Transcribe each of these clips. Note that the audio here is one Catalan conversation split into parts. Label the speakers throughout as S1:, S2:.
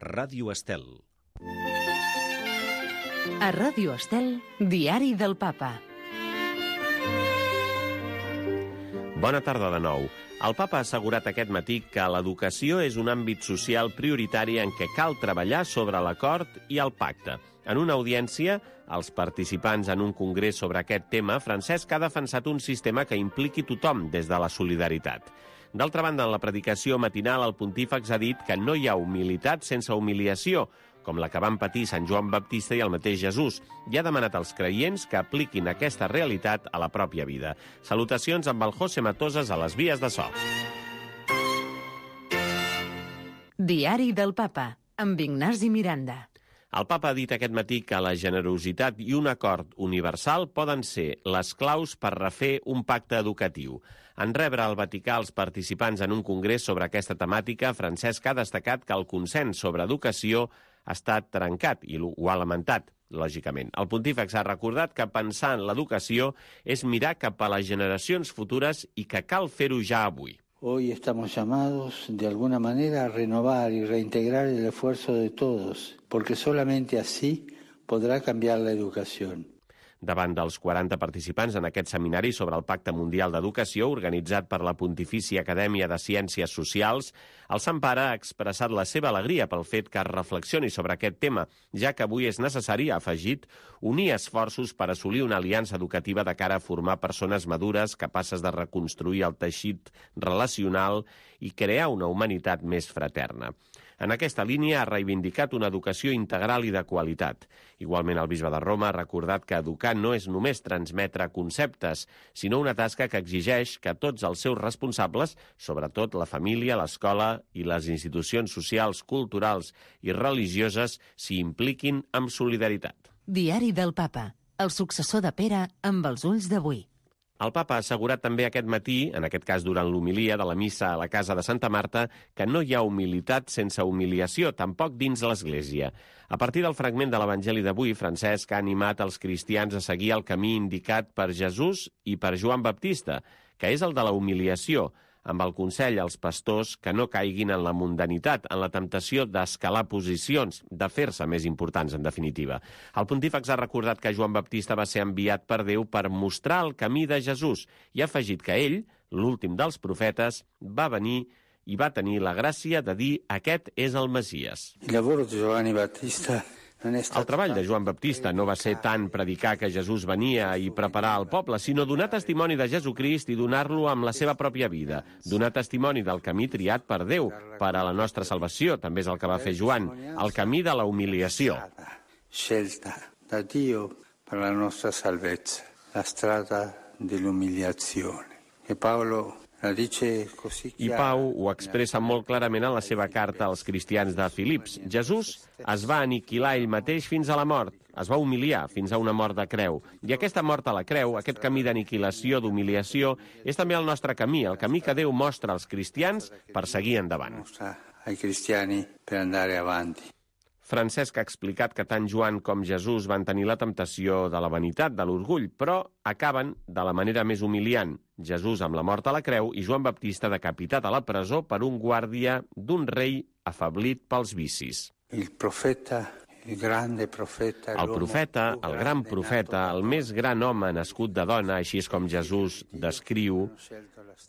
S1: Ràdio Estel.
S2: A Ràdio Estel, Diari del Papa.
S3: Bona tarda de nou. El Papa ha assegurat aquest matí que l'educació és un àmbit social prioritari en què cal treballar sobre l'acord i el pacte. En una audiència, als participants en un congrés sobre aquest tema, Francesc ha defensat un sistema que impliqui tothom des de la solidaritat. D'altra banda, en la predicació matinal, el pontífex ha dit que no hi ha humilitat sense humiliació, com la que van patir Sant Joan Baptista i el mateix Jesús, i ha demanat als creients que apliquin aquesta realitat a la pròpia vida. Salutacions amb el José Matosas a les vies de so.
S2: Diari del Papa, amb Ignasi Miranda.
S3: El Papa ha dit aquest matí que la generositat i un acord universal poden ser les claus per refer un pacte educatiu. En rebre al Vaticà els participants en un congrés sobre aquesta temàtica, Francesc ha destacat que el consens sobre educació ha estat trencat i ho ha lamentat, lògicament. El pontífex ha recordat que pensar en l'educació és mirar cap a les generacions futures i que cal fer-ho ja avui.
S4: Hoy estamos llamados, de alguna manera, a renovar y reintegrar el esfuerzo de todos, porque solamente así podrá cambiar la educación.
S3: Davant dels 40 participants en aquest seminari sobre el Pacte Mundial d'Educació, organitzat per la Pontifícia Acadèmia de Ciències Socials, el Sant Pare ha expressat la seva alegria pel fet que es reflexioni sobre aquest tema, ja que avui és necessari, ha afegit, unir esforços per assolir una aliança educativa de cara a formar persones madures capaces de reconstruir el teixit relacional i crear una humanitat més fraterna. En aquesta línia ha reivindicat una educació integral i de qualitat. Igualment, el bisbe de Roma ha recordat que educar no és només transmetre conceptes, sinó una tasca que exigeix que tots els seus responsables, sobretot la família, l'escola i les institucions socials, culturals i religioses, s'hi impliquin amb solidaritat.
S2: Diari del Papa, el successor de Pere amb els ulls d'avui.
S3: El Papa ha assegurat també aquest matí, en aquest cas durant l'homilia de la missa a la casa de Santa Marta, que no hi ha humilitat sense humiliació, tampoc dins l'Església. A partir del fragment de l'Evangeli d'avui, Francesc ha animat els cristians a seguir el camí indicat per Jesús i per Joan Baptista, que és el de la humiliació, amb el consell als pastors que no caiguin en la mundanitat, en la temptació d'escalar posicions, de fer-se més importants, en definitiva. El pontífex ha recordat que Joan Baptista va ser enviat per Déu per mostrar el camí de Jesús i ha afegit que ell, l'últim dels profetes, va venir i va tenir la gràcia de dir aquest és el Messies. El treball de Joan Baptista no va ser tant predicar que Jesús venia i preparar el poble, sinó donar testimoni de Jesucrist i donar-lo amb la seva pròpia vida. Donar testimoni del camí triat per Déu, per a la nostra salvació, també és el que va fer Joan, el camí de la humiliació.
S4: Scelta da Dio per la nostra salvezza, la strada dell'umiliazione. E Paolo
S3: I Pau ho expressa molt clarament en la seva carta als cristians de Filips. Jesús es va aniquilar ell mateix fins a la mort, es va humiliar fins a una mort de creu. I aquesta mort a la creu, aquest camí d'aniquilació, d'humiliació, és també el nostre camí, el camí que Déu mostra als cristians per seguir endavant.
S4: Ai cristiani per andare avanti.
S3: Francesc ha explicat que tant Joan com Jesús van tenir la temptació de la vanitat, de l'orgull, però acaben de la manera més humiliant. Jesús amb la mort a la creu i Joan Baptista decapitat a la presó per un guàrdia d'un rei afeblit pels vicis.
S4: El profeta, el gran
S3: profeta, el més gran home nascut de dona, així és com Jesús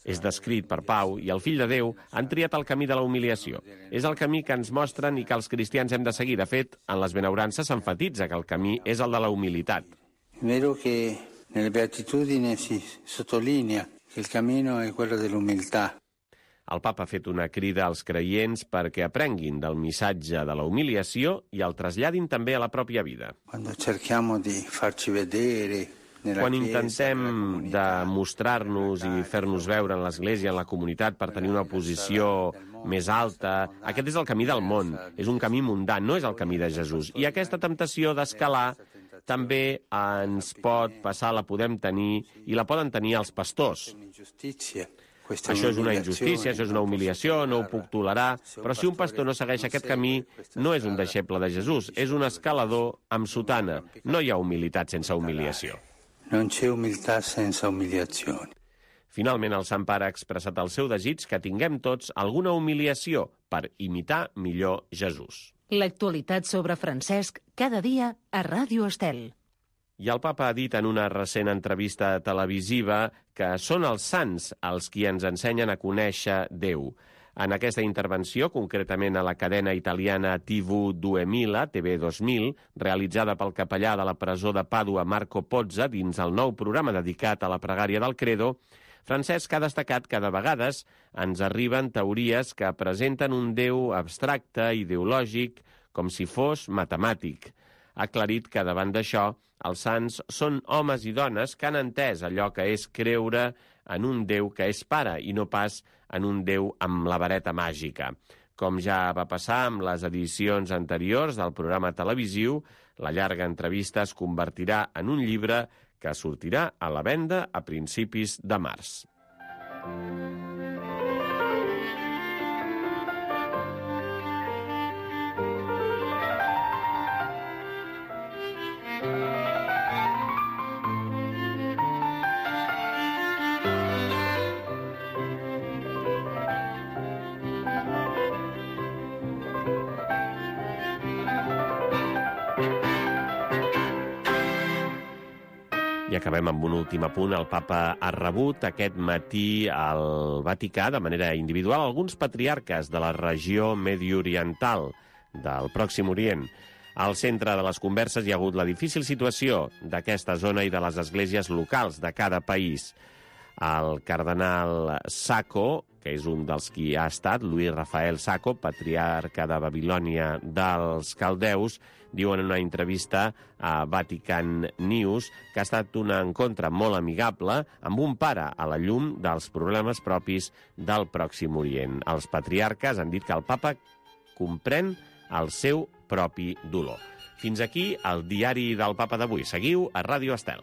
S3: és descrit per Pau, i el fill de Déu han triat el camí de la humiliació. És el camí que ens mostren i que els cristians hem de seguir. De fet, en les benaurances s'enfatitza que el camí és el de la humilitat.
S4: Vero que nelle beatitudini si sottolinea che il cammino è quello dell'umiltà.
S3: El Papa ha fet una crida als creients perquè aprenguin del missatge de la humiliació i el traslladin també a la pròpia vida. Quan intentem demostrar-nos i fer-nos veure en l'Església, en la comunitat, per tenir una posició més alta, aquest és el camí del món, és un camí mundà, no és el camí de Jesús. I aquesta temptació d'escalar també ens pot passar, la podem tenir, i la poden tenir els pastors. Això és una injustícia, això és una humiliació, no ho puc tolerar, però si un pastor no segueix aquest camí, no és un deixeble de Jesús, és un escalador amb sotana. No hi ha humilitat sense humiliació.
S4: Non c'è umiltà senza umiliazione.
S3: Finalment, el Sant Pare ha expressat el seu desig que tinguem tots alguna humiliació per imitar millor Jesús.
S2: L'actualitat sobre Francesc cada dia a Ràdio Estel.
S3: I el papa ha dit en una recent entrevista televisiva que són els sants els qui ens ensenyen a conèixer Déu. En aquesta intervenció, concretament a la cadena italiana TV2000, realitzada pel capellà de la presó de Pàdua Marco Pozza dins el nou programa dedicat a la pregària del Credo, Francesc ha destacat que de vegades ens arriben teories que presenten un Déu abstracte, ideològic, com si fos matemàtic. Ha aclarit que davant d'això els sants són homes i dones que han entès allò que és creure en un Déu que és pare i no pas en un Déu amb la vareta màgica. Com ja va passar amb les edicions anteriors del programa televisiu, la llarga entrevista es convertirà en un llibre que sortirà a la venda a principis de març. I acabem amb un últim apunt. El papa ha rebut aquest matí al Vaticà de manera individual alguns patriarques de la regió medioriental del Pròxim Orient. Al centre de les converses hi ha hagut la difícil situació d'aquesta zona i de les esglésies locals de cada país. El cardenal Sacco, que és un dels qui ha estat, Luis Rafael Sacco, patriarca de Babilònia dels caldeus, diu en una entrevista a Vatican News que ha estat un encontre molt amigable amb un pare a la llum dels problemes propis del Pròxim Orient. Els patriarques han dit que el papa comprèn el seu propi dolor. Fins aquí el diari del papa d'avui. Seguiu a Ràdio Estel.